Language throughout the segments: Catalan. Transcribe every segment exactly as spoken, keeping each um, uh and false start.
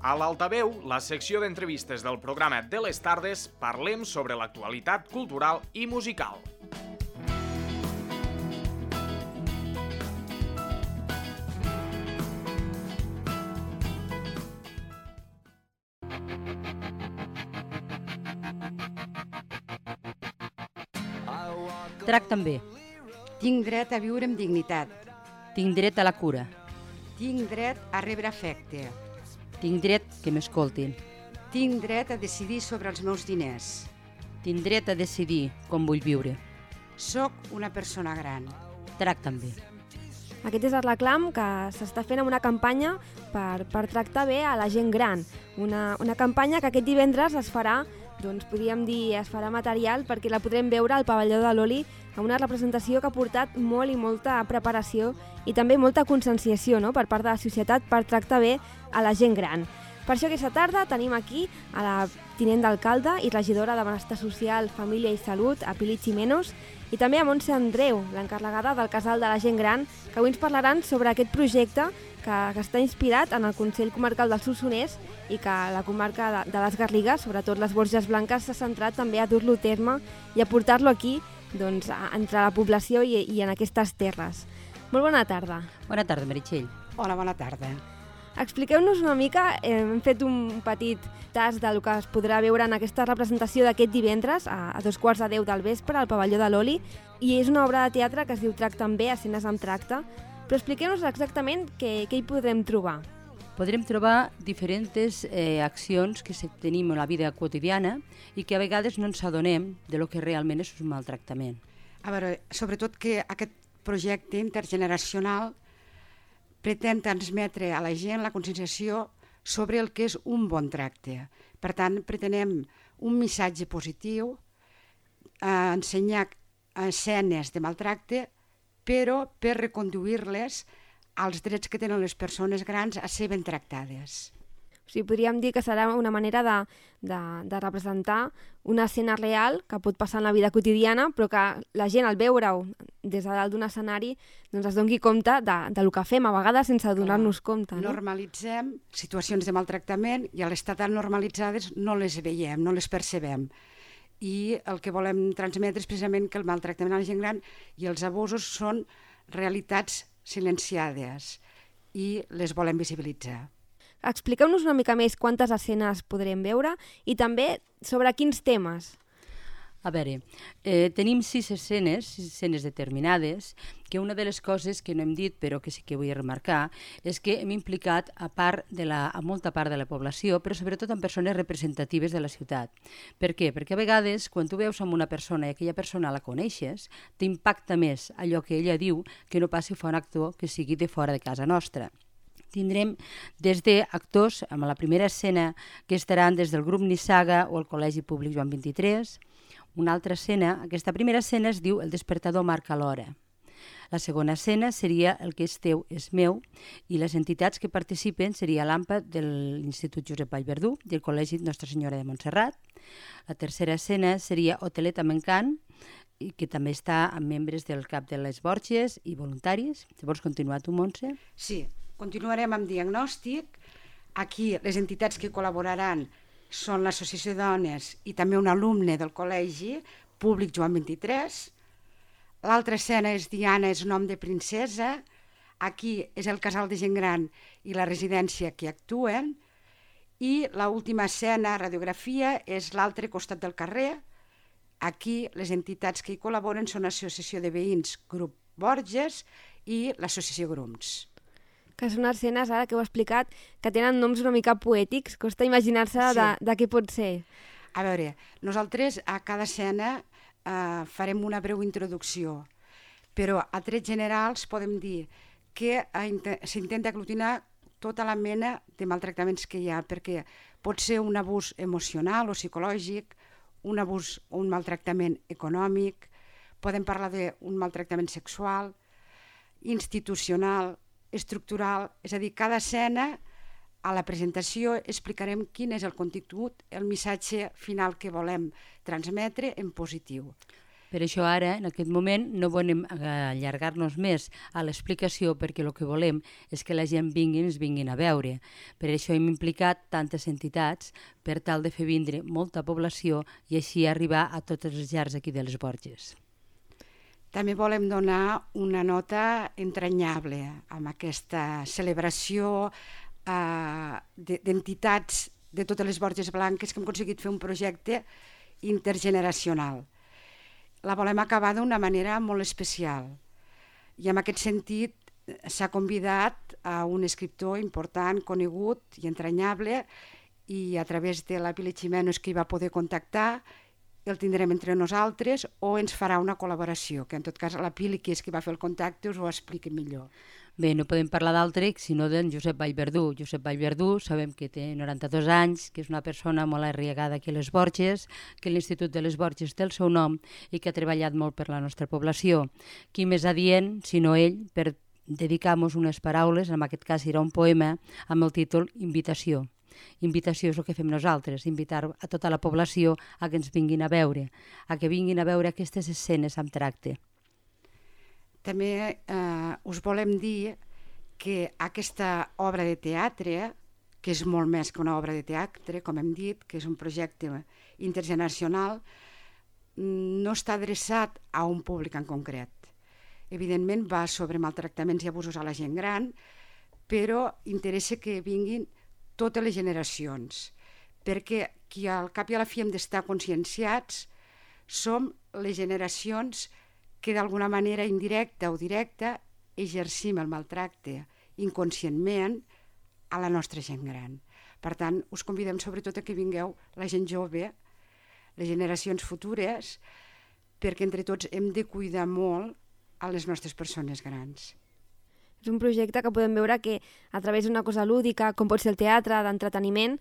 A l'Altaveu, la secció d'entrevistes del programa de les tardes, parlem sobre l'actualitat cultural i musical. Tracta'm bé. Tinc dret a viure amb dignitat. Tinc dret a la cura. Tinc dret a rebre afecte. Tinc dret que m'escoltin. Tinc dret a decidir sobre els meus diners. Tinc dret a decidir com vull viure. Soc una persona gran. Tracta'm bé. Aquest és el reclam que s'està fent amb una campanya per, per tractar bé a la gent gran. Una, una campanya que aquest divendres es farà, doncs podríem dir, es farà material perquè la podrem veure al pavelló de l'Oli amb una representació que ha portat molt i molta preparació i també molta conscienciació, no?, per part de la societat per tractar bé a la gent gran. Per això aquesta tarda tenim aquí a la tinent d'alcalde i regidora de Benestar Social, Família i Salut, a Pili Ximenos, i també a Montse Andreu, l'encarregada del Casal de la Gent Gran, que avui ens parlaran sobre aquest projecte que, que està inspirat en el Consell Comarcal del Solsonès i que la comarca de, de les Garrigues, sobretot les Borges Blanques, s'ha centrat també a dur-lo a terme i a portar-lo aquí, doncs, a, entre la població i, i en aquestes terres. Molt bona tarda. Bona tarda, Meritxell. Hola, bona tarda. Expliqueu-nos una mica, eh, hem fet un petit tast del que es podrà veure en aquesta representació d'aquest divendres a, a dos quarts de deu del vespre al pavelló de l'Oli, i és una obra de teatre que es diu Tracta'm bé, escenes amb tracte, però expliqueu-nos exactament què, què hi podrem trobar. Podrem trobar diferents eh, accions que tenim en la vida quotidiana i que a vegades no ens adonem de lo que realment és un maltractament. A veure, sobretot que aquest projecte intergeneracional pretén transmetre a la gent la conscienciació sobre el que és un bon tracte. Per tant, pretenem un missatge positiu, eh, ensenyar escenes de maltracte, però per reconduir-les als drets que tenen les persones grans a ser ben tractades. O sigui, podríem dir que serà una manera de, de, de representar una escena real que pot passar en la vida quotidiana, però que la gent, al veure-ho des de dalt d'un escenari, doncs es doni compte de, de lo que fem, a vegades sense donar-nos compte. No? Normalitzem situacions de maltractament i a l'estar tan normalitzades no les veiem, no les percebem. I el que volem transmetre és precisament que el maltractament a la gent gran i els abusos són realitats silenciades i les volem visibilitzar. Expliqueu-nos una mica més quantes escenes podrem veure i també sobre quins temes. A veure, eh, tenim sis escenes, sis escenes determinades, que una de les coses que no hem dit però que sí que vull remarcar és que hem implicat a, part de la, a molta part de la població, però sobretot en persones representatives de la ciutat. Per què? Perquè a vegades quan tu veus amb una persona i aquella persona la coneixes, t'impacta més allò que ella diu que no passi a fer un actor que sigui de fora de casa nostra. Tindrem des d'actors, amb la primera escena que estaran des del grup Nissaga o el Col·legi Públic Joan vint-i-tres. Una altra escena, aquesta primera escena es diu El despertador marca l'hora. La segona escena seria El que és teu és meu i les entitats que participen seria l'AMPA de l'Institut Josep Vallverdú i el Col·legi Nostra Senyora de Montserrat. La tercera escena seria Hotelet amb encant, i que també està amb membres del CAP de les Borges i voluntaris. Si vols continuar tu, Montse? Sí, continuarem amb diagnòstic. Aquí les entitats que col·laboraran són l'Associació de Dones i també un alumne del Col·legi Públic Joan vint-i-tres. L'altra escena és Diana és nom de princesa. Aquí és el casal de gent gran i la residència que actuen. I l'última escena, radiografia, és l'altre costat del carrer. Aquí les entitats que hi col·laboren són l'Associació de Veïns Grup Borges i l'Associació Grums. Que són escenes, ara que heu explicat, que tenen noms una mica poètics, costa imaginar-se sí. de, de què pot ser. A veure, nosaltres a cada escena eh, farem una breu introducció, però a trets generals podem dir que eh, s'intenta aglutinar tota la mena de maltractaments que hi ha, perquè pot ser un abús emocional o psicològic, un abús o un maltractament econòmic, podem parlar d'un maltractament sexual, institucional, estructural, és a dir, cada escena a la presentació explicarem quin és el contingut, el missatge final que volem transmetre en positiu. Per això ara, en aquest moment, no volem allargar-nos més a l'explicació perquè el que volem és que la gent vingui i ens vinguin a veure. Per això hem implicat tantes entitats per tal de fer vindre molta població i així arribar a totes les llars aquí de les Borges. També volem donar una nota entranyable amb aquesta celebració eh, d'entitats de totes les Borges Blanques que hem aconseguit fer un projecte intergeneracional. La volem acabar d'una manera molt especial i en aquest sentit s'ha convidat a un escriptor important, conegut i entranyable i a través de la Pili Ximenos que hi va poder contactar el tindrem entre nosaltres o ens farà una col·laboració, que en tot cas la Pili, que és qui va fer el contacte, us ho expliqui millor. Bé, no podem parlar d'altre sinó d'en Josep Vallverdú. Josep Vallverdú sabem que té noranta-dos anys, que és una persona molt arriagada aquí a les Borges, que l'Institut de les Borges té el seu nom i que ha treballat molt per la nostra població. Qui més adient, sinó ell, per dedicar-nos unes paraules, en aquest cas era un poema, amb el títol Invitació. Invitació és el que fem nosaltres, invitar a tota la població a que ens vinguin a veure, a que vinguin a veure aquestes escenes amb tracte. També eh, us volem dir que aquesta obra de teatre, que és molt més que una obra de teatre, com hem dit, que és un projecte intergeneracional, no està adreçat a un públic en concret. Evidentment va sobre maltractaments i abusos a la gent gran, però interessa que vinguin totes les generacions, perquè qui al cap i a la fi hem d'estar conscienciats som les generacions que d'alguna manera indirecta o directa exercim el maltracte inconscientment a la nostra gent gran. Per tant, us convidem sobretot a que vingueu la gent jove, les generacions futures, perquè entre tots hem de cuidar molt a les nostres persones grans. És un projecte que podem veure que a través d'una cosa lúdica, com pot ser el teatre, d'entreteniment,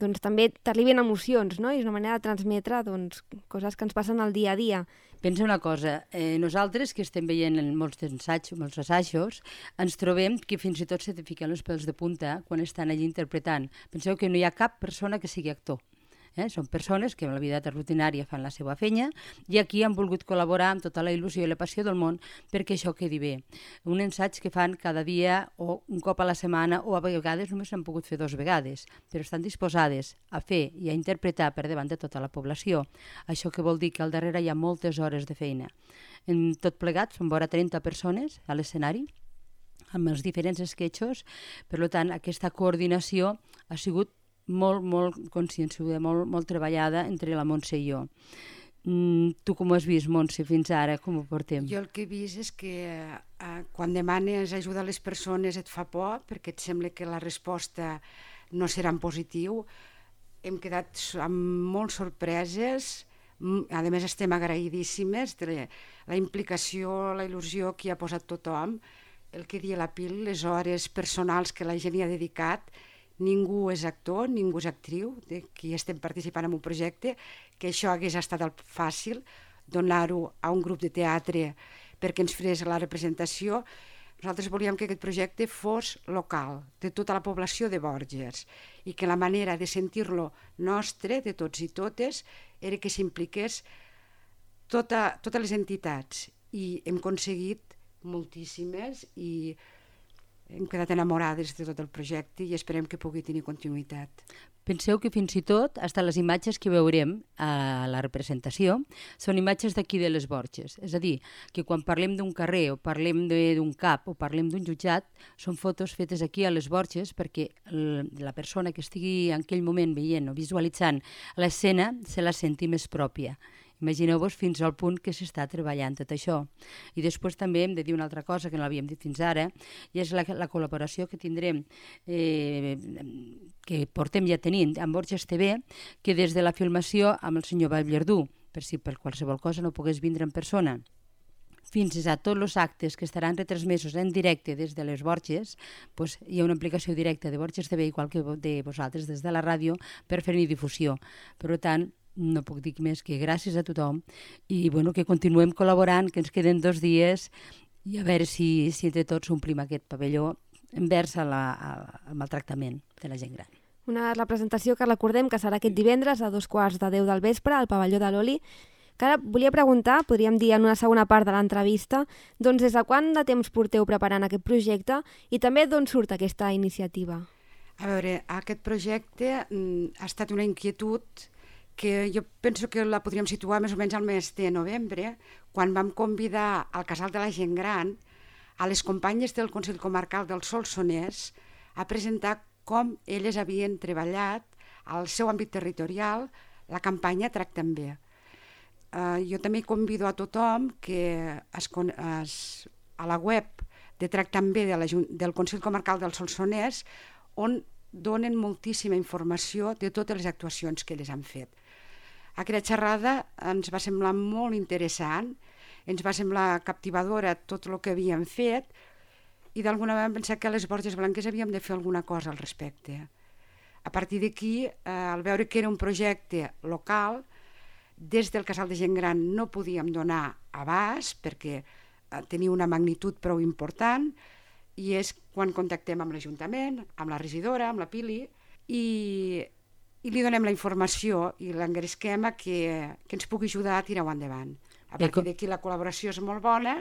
doncs també t'arriben emocions, no? I és una manera de transmetre doncs, coses que ens passen al dia a dia. Pensa una cosa, eh, nosaltres que estem veient en molts assajos, molts assajos, ens trobem que fins i tot se te fiquen els pèls de punta quan estan allí interpretant. Penseu que no hi ha cap persona que sigui actor. Eh? Són persones que en la vida rutinària fan la seva feina i aquí han volgut col·laborar amb tota la il·lusió i la passió del món perquè això quedi bé. Un ensaig que fan cada dia o un cop a la setmana o a vegades només s'han pogut fer dues vegades, però estan disposades a fer i a interpretar per davant de tota la població. Això que vol dir que al darrere hi ha moltes hores de feina. En tot plegat són vora trenta persones a l'escenari amb els diferents esquetxos, per tant aquesta coordinació ha sigut molt, molt conscienciada, molt, molt treballada entre la Montse i jo. Mm, tu com ho has vist, Montse, fins ara? Com ho portem? Jo el que he vist és que eh, quan demanes ajuda a les persones et fa por, perquè et sembla que la resposta no serà en positiu. Hem quedat amb molt sorpreses, a més estem agraïdíssimes de la implicació, la il·lusió que hi ha posat tothom, el que dia la Pil, les hores personals que la gent hi ha dedicat. Ningú és actor, ningú és actriu, de qui estem participant en un projecte, que això hagués estat fàcil, donar-ho a un grup de teatre perquè ens fes la representació. Nosaltres volíem que aquest projecte fos local, de tota la població de Borges, i que la manera de sentir-lo nostre, de tots i totes, era que s'impliqués tota, totes les entitats. I hem aconseguit moltíssimes i hem quedat enamorades de tot el projecte i esperem que pugui tenir continuïtat. Penseu que fins i tot, hasta les imatges que veurem a la representació, són imatges d'aquí de les Borges. És a dir, que quan parlem d'un carrer o parlem d'un cap o parlem d'un jutjat, són fotos fetes aquí a les Borges perquè la persona que estigui en aquell moment veient o visualitzant l'escena se la senti més pròpia. Imagineu-vos fins al punt que s'està treballant tot això. I després també hem de dir una altra cosa que no l'havíem dit fins ara, i és la, la col·laboració que tindrem, eh, que portem ja tenint amb Borges T V, que des de la filmació amb el senyor Vallverdú, per si per qualsevol cosa no pogués vindre en persona, fins a tots els actes que estaran retransmesos en directe des de les Borges, doncs hi ha una implicació directa de Borges T V, igual que de vosaltres des de la ràdio, per fer-hi difusió. Per tant, no puc dir més que gràcies a tothom i bueno, que continuem col·laborant, que ens queden dos dies i a veure si, si entre tots omplim aquest pavelló envers a la, a, al maltractament de la gent gran. Una representació que recordem que serà aquest divendres a dos quarts de deu del vespre al pavelló de l'Oli. Que ara volia preguntar, podríem dir en una segona part de l'entrevista, doncs des de quant de temps porteu preparant aquest projecte i també d'on surt aquesta iniciativa? A veure, aquest projecte mm, ha estat una inquietud que jo penso que la podríem situar més o menys al mes de novembre, quan vam convidar al Casal de la Gent Gran a les companyes del Consell Comarcal del Solsonès a presentar com elles havien treballat al seu àmbit territorial la campanya Tracta'm Bé. Uh, jo també convido a tothom que es, es, a la web de Tracta'm Bé de la, del Consell Comarcal del Solsonès, on donen moltíssima informació de totes les actuacions que elles han fet. Aquella xerrada ens va semblar molt interessant, ens va semblar captivadora tot el que havíem fet i d'alguna manera vam pensar que a les Borges Blanques havíem de fer alguna cosa al respecte. A partir d'aquí, eh, al veure que era un projecte local, des del Casal de Gent Gran no podíem donar abast perquè eh, tenia una magnitud prou important, i és quan contactem amb l'Ajuntament, amb la regidora, amb la Pili, i, i li donem la informació i l'engresquem a que, que ens pugui ajudar a tirar-ho endavant. A partir d'aquí la col·laboració és molt bona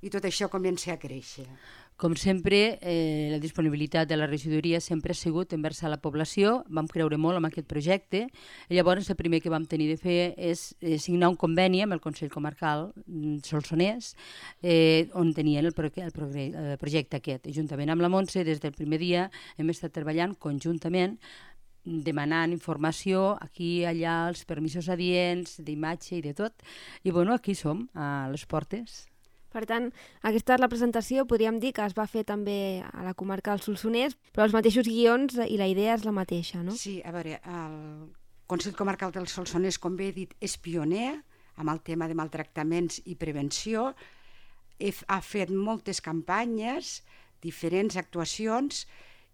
i tot això comença a créixer. Com sempre, eh, la disponibilitat de la regidoria sempre ha sigut envers a la població, vam creure molt en aquest projecte, i llavors el primer que vam tenir de fer és eh, signar un conveni amb el Consell Comarcal Solsonès, eh, on tenien el, pro el, pro el projecte aquest. Juntament amb la Montse, des del primer dia hem estat treballant conjuntament, demanant informació aquí, allà, els permisos adients, d'imatge i de tot, i bueno, aquí som, a les portes. Per tant, aquesta és la presentació, podríem dir que es va fer també a la comarca del Solsonès, però els mateixos guions i la idea és la mateixa, no? Sí, a veure, el Consell Comarcal del Solsonès, com bé he dit, és pioner amb el tema de maltractaments i prevenció, ha fet moltes campanyes, diferents actuacions,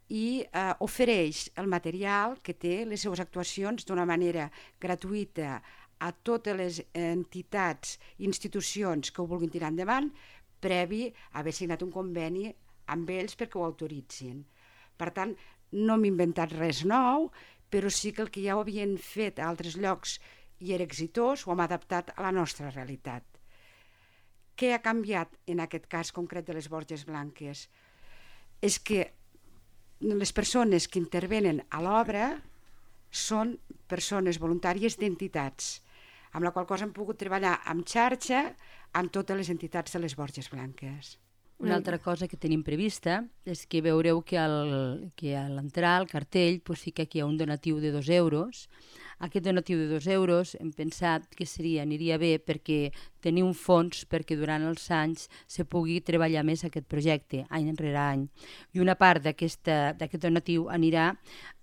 i eh, ofereix el material que té les seues actuacions d'una manera gratuïta a totes les entitats i institucions que ho vulguin tirar endavant, previ a haver signat un conveni amb ells perquè ho autoritzin. Per tant, no m'he inventat res nou, però sí que el que ja ho havien fet a altres llocs i era exitós, ho hem adaptat a la nostra realitat. Què ha canviat en aquest cas concret de les Borges Blanques? És que les persones que intervenen a l'obra són persones voluntàries d'entitats, amb la qual cosa hem pogut treballar amb xarxa amb totes les entitats de les Borges Blanques. Una altra cosa que tenim prevista és que veureu que, al, que a l'entrar al cartell pues, sí que aquí hi ha un donatiu de dos euros. Aquest donatiu de dos euros hem pensat que seria, aniria bé perquè tenir un fons perquè durant els anys se pugui treballar més aquest projecte, any enrere any. I una part d'aquest donatiu anirà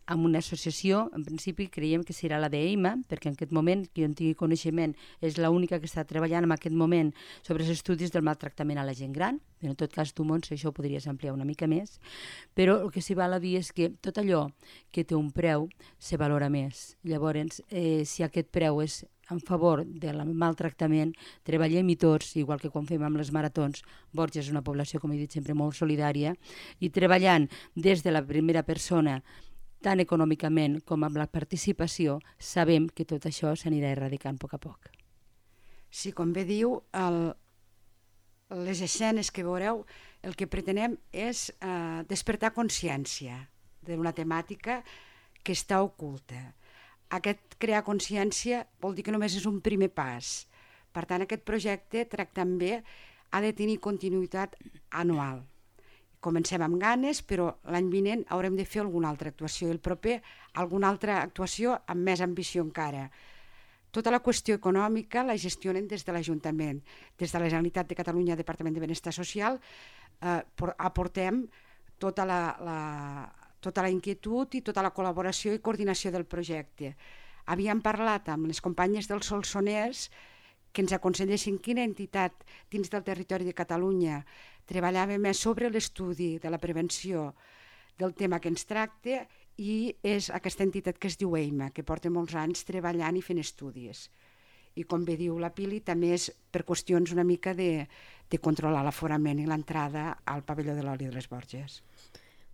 amb una associació, en principi creiem que serà la d'E I M A, perquè en aquest moment, que jo en tingui coneixement, és l'única que està treballant en aquest moment sobre els estudis del maltractament a la gent gran. En tot cas, tu, Montse, això ho podries ampliar una mica més, però el que s'hi val a dir és que tot allò que té un preu se valora més. Llavors, eh, si aquest preu és en favor del maltractament, treballem-hi tots, igual que quan fem amb les maratons. Borges és una població, com he dit sempre, molt solidària, i treballant des de la primera persona, tant econòmicament com amb la participació, sabem que tot això s'anirà erradicant a poc a poc. Sí, com bé diu, el, les escenes que veureu, el que pretenem és eh, despertar consciència d'una temàtica que està oculta. Aquest crear consciència vol dir que només és un primer pas. Per tant, aquest projecte Tracta'm Bé ha de tenir continuïtat anual. Comencem amb ganes, però l'any vinent haurem de fer alguna altra actuació, i el proper alguna altra actuació amb més ambició encara. Tota la qüestió econòmica la gestionen des de l'Ajuntament. Des de la Generalitat de Catalunya, Departament de Benestar Social, eh, aportem tota la, la, tota la inquietud i tota la col·laboració i coordinació del projecte. Havíem parlat amb les companyes del Solsonès que ens aconsellessin quina entitat dins del territori de Catalunya treballava més sobre l'estudi de la prevenció del tema que ens tracta, i és aquesta entitat que es diu E I M A, que porta molts anys treballant i fent estudis. I com bé diu la Pili, també és per qüestions una mica de, de controlar l'aforament i l'entrada al pavelló de l'oli de les Borges.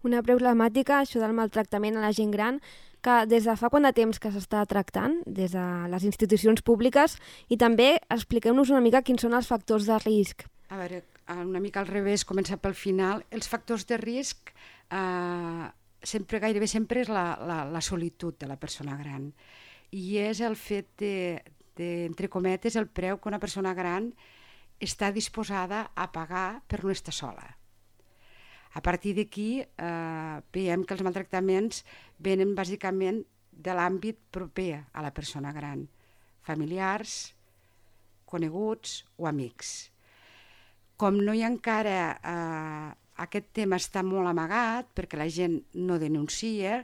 Una problemàtica, això del maltractament a la gent gran, que des de fa quant de temps que s'està tractant, des de les institucions públiques, i també expliqueu-nos una mica quins són els factors de risc. A veure, una mica al revés, començar pel final. Els factors de risc eh, sempre, gairebé sempre és la, la, la solitud de la persona gran. I és el fet de, de, entre cometes, el preu que una persona gran està disposada a pagar per no estar sola. A partir d'aquí eh, veiem que els maltractaments venen bàsicament de l'àmbit proper a la persona gran, familiars, coneguts o amics. Com no hi ha encara, eh, aquest tema està molt amagat perquè la gent no denuncia,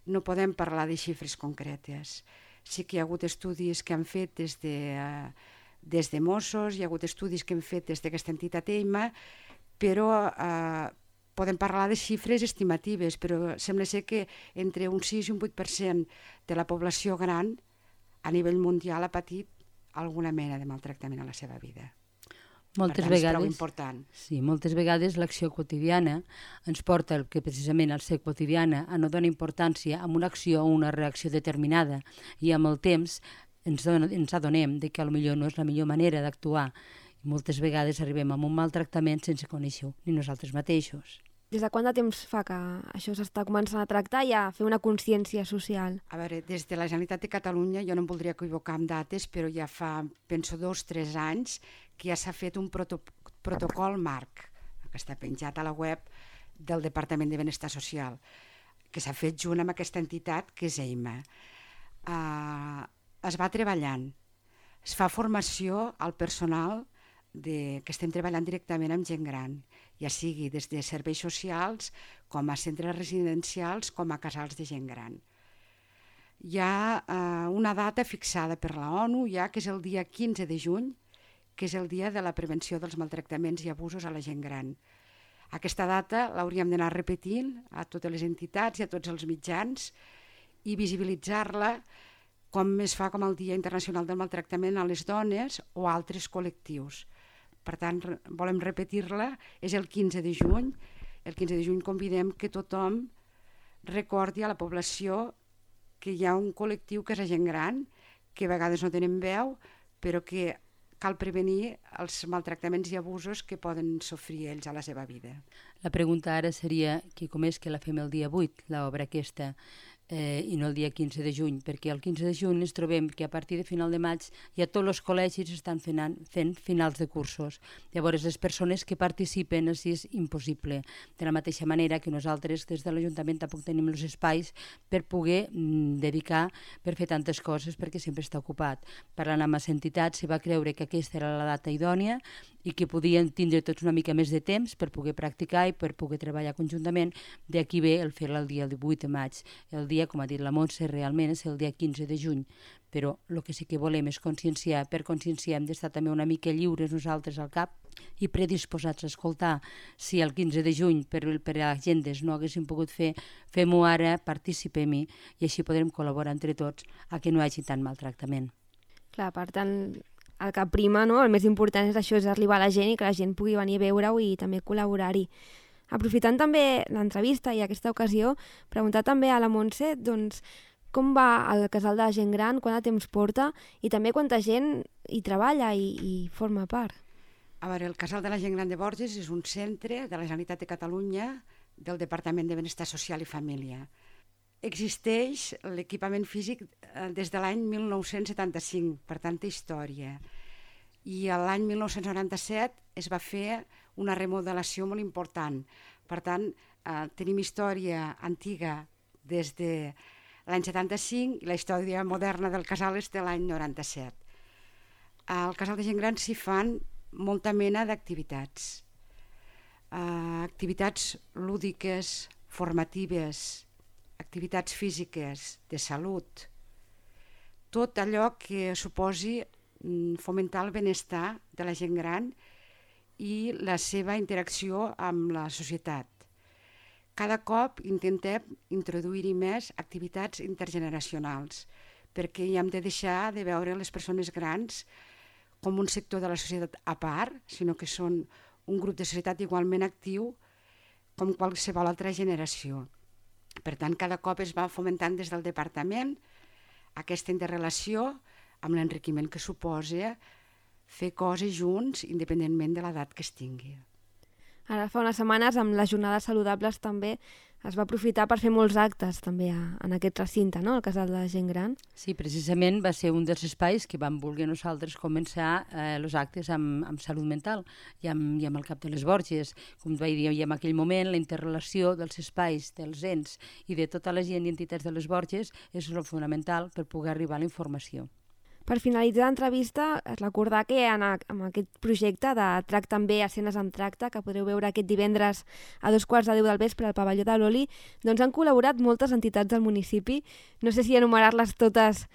no podem parlar de xifres concretes. Sí que hi ha hagut estudis que han fet des de, eh, des de Mossos, hi ha hagut estudis que han fet des d'aquesta entitat EIMA, però eh, podem parlar de xifres estimatives, però sembla ser que entre un sis i un vuit per cent de la població gran a nivell mundial ha patit alguna mena de maltractament a la seva vida. Moltes per tant, vegades, és prou important. Sí, moltes vegades l'acció quotidiana ens porta el que precisament al ser quotidiana a no donar importància a una acció o una reacció determinada i amb el temps ens, don, ens adonem de que potser no és la millor manera d'actuar. I moltes vegades arribem a un maltractament sense conèixer-ho ni nosaltres mateixos. Des de quant de temps fa que això s'està començant a tractar i a fer una consciència social? A veure, des de la Generalitat de Catalunya, jo no em voldria equivocar amb dates, però ja fa, penso, dos o tres anys que ja s'ha fet un proto protocol marc, que està penjat a la web del Departament de Benestar Social, que s'ha fet junt amb aquesta entitat que és EIMA. Uh, es va treballant, es fa formació al personal de, que estem treballant directament amb gent gran, ja sigui des de serveis socials, com a centres residencials, com a casals de gent gran. Hi ha eh, una data fixada per la ONU, ja que és el dia quinze de juny, que és el dia de la prevenció dels maltractaments i abusos a la gent gran. Aquesta data l'hauríem d'anar repetint a totes les entitats i a tots els mitjans i visibilitzar-la com es fa com el Dia Internacional del Maltractament a les Dones o altres col·lectius. Per tant, volem repetir-la, és el quinze de juny. El quinze de juny convidem que tothom recordi a la població que hi ha un col·lectiu que és la gent gran, que a vegades no tenen veu, però que cal prevenir els maltractaments i abusos que poden sofrir ells a la seva vida. La pregunta ara seria que com és que la fem el dia vuit, l'obra aquesta, eh, i no el dia quinze de juny, perquè el quinze de juny ens trobem que a partir de final de maig ja tots els col·legis estan fent, fent finals de cursos. Llavors, les persones que participen així és impossible. De la mateixa manera que nosaltres des de l'Ajuntament tampoc tenim els espais per poder mm, dedicar per fer tantes coses perquè sempre està ocupat. Parlant amb les entitats, se va creure que aquesta era la data idònia i que podien tindre tots una mica més de temps per poder practicar i per poder treballar conjuntament. D'aquí ve el fer-la el dia divuit de maig. El dia, com ha dit la Montse, realment és el dia quinze de juny, però el que sí que volem és conscienciar. Per conscienciar hem d'estar també una mica lliures nosaltres al cap i predisposats a escoltar. Si el quinze de juny per, per agendes no haguéssim pogut fer, fem-ho ara, participem-hi i així podrem col·laborar entre tots a que no hi hagi tant maltractament. Clar, per tant, el que prima, no? El més important és això, és arribar a la gent i que la gent pugui venir a veure-ho i també col·laborar-hi. Aprofitant també l'entrevista i aquesta ocasió, preguntar també a la Montse doncs, com va el casal de la gent gran, quant de temps porta i també quanta gent hi treballa i, i forma part. A veure, el casal de la gent gran de Borges és un centre de la Generalitat de Catalunya del Departament de Benestar Social i Família. Existeix l'equipament físic des de l'any mil nou-cents setanta-cinc, per tanta història. I l'any mil nou-cents noranta-set es va fer una remodelació molt important. Per tant, eh, tenim història antiga des de l'any setanta-cinc i la història moderna del casal és de l'any noranta-set. Al casal de gent gran s'hi fan molta mena d'activitats. Eh, activitats lúdiques, formatives, activitats físiques, de salut, tot allò que suposi fomentar el benestar de la gent gran i la seva interacció amb la societat. Cada cop intentem introduir-hi més activitats intergeneracionals, perquè hi hem de deixar de veure les persones grans com un sector de la societat a part, sinó que són un grup de societat igualment actiu com qualsevol altra generació. Per tant, cada cop es va fomentant des del departament aquesta interrelació amb l'enriquiment que suposa fer coses junts independentment de l'edat que es tingui. Ara fa unes setmanes, amb les jornades saludables també, es va aprofitar per fer molts actes també a, en aquest recinte, no?, al Casal de la Gent Gran. Sí, precisament va ser un dels espais que vam voler nosaltres començar els eh, actes amb, amb salut mental i amb, i amb el Cap de les Borges. Com vaig dir, i en aquell moment la interrelació dels espais, dels ens i de tota la gent i entitats de les Borges és el fonamental per poder arribar a la informació. Per finalitzar l'entrevista, es recordar que en, a, en aquest projecte de Tracta amb bé, escenes amb tracte, que podreu veure aquest divendres a dos quarts de deu del vespre al pavelló de l'Oli, doncs han col·laborat moltes entitats del municipi. No sé si enumerar-les totes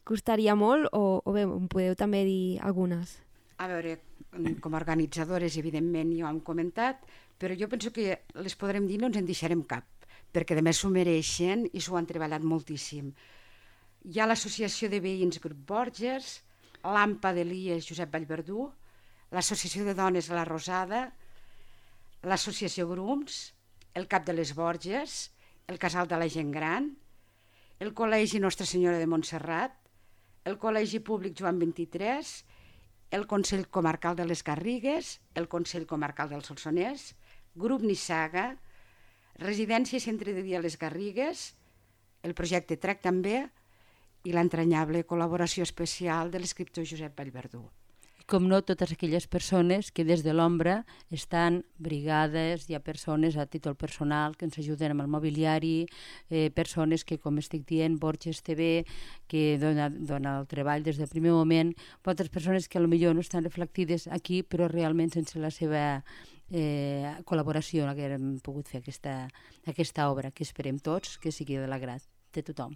costaria molt o, o bé, em podeu també dir algunes. A veure, com a organitzadores, evidentment, ja ho hem comentat, però jo penso que les podrem dir, no ens en deixarem cap, perquè a més s'ho mereixen i s'ho han treballat moltíssim. Hi ha l'Associació de Veïns Grup Borges, l'AMPA d'Elies Josep Vallverdú, l'Associació de Dones La Rosada, l'Associació Grums, el Cap de les Borges, el Casal de la Gent Gran, el Col·legi Nostra Senyora de Montserrat, el Col·legi Públic Joan vint-i-tres, el Consell Comarcal de les Garrigues, el Consell Comarcal del Solsonès, Grup Nissaga, Residència i Centre de Dia Les Garrigues, el projecte Tracta amb bé, i l'entranyable col·laboració especial de l'escriptor Josep Vallverdú. Com no, totes aquelles persones que des de l'ombra estan brigades, hi ha persones a títol personal que ens ajuden amb el mobiliari, eh, persones que, com estic dient, Borges T V, que dona, dona el treball des del primer moment, altres persones que potser no estan reflectides aquí, però realment sense la seva eh, col·laboració no haguem pogut fer aquesta, aquesta obra, que esperem tots que sigui de l'agrat de tothom.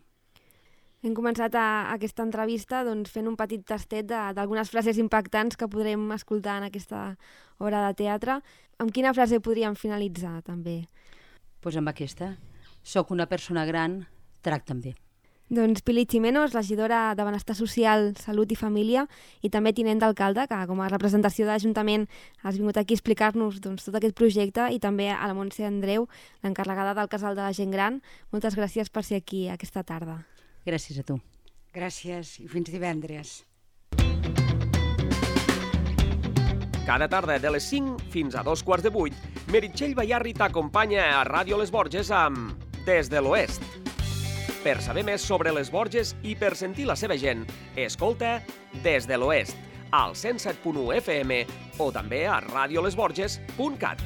Hem començat a, a aquesta entrevista doncs, fent un petit tastet d'algunes frases impactants que podrem escoltar en aquesta obra de teatre. Amb quina frase podríem finalitzar, també? Doncs pues amb aquesta. Soc una persona gran, tracta'm bé. Doncs Pili Ximenos, regidora de Benestar Social, Salut i Família, i també tinent d'alcalde, que com a representació de l'Ajuntament has vingut aquí a explicar-nos doncs, tot aquest projecte, i també a la Montse Andreu, l'encarregada del Casal de la Gent Gran. Moltes gràcies per ser aquí aquesta tarda. Gràcies a tu. Gràcies i fins divendres. Cada tarda de les cinc fins a dos quarts de vuit, Meritxell Bayarri t'acompanya a Ràdio Les Borges amb Des de l'Oest. Per saber més sobre les Borges i per sentir la seva gent, escolta Des de l'Oest, al cent set punt u F M o també a radiolesborges punt cat.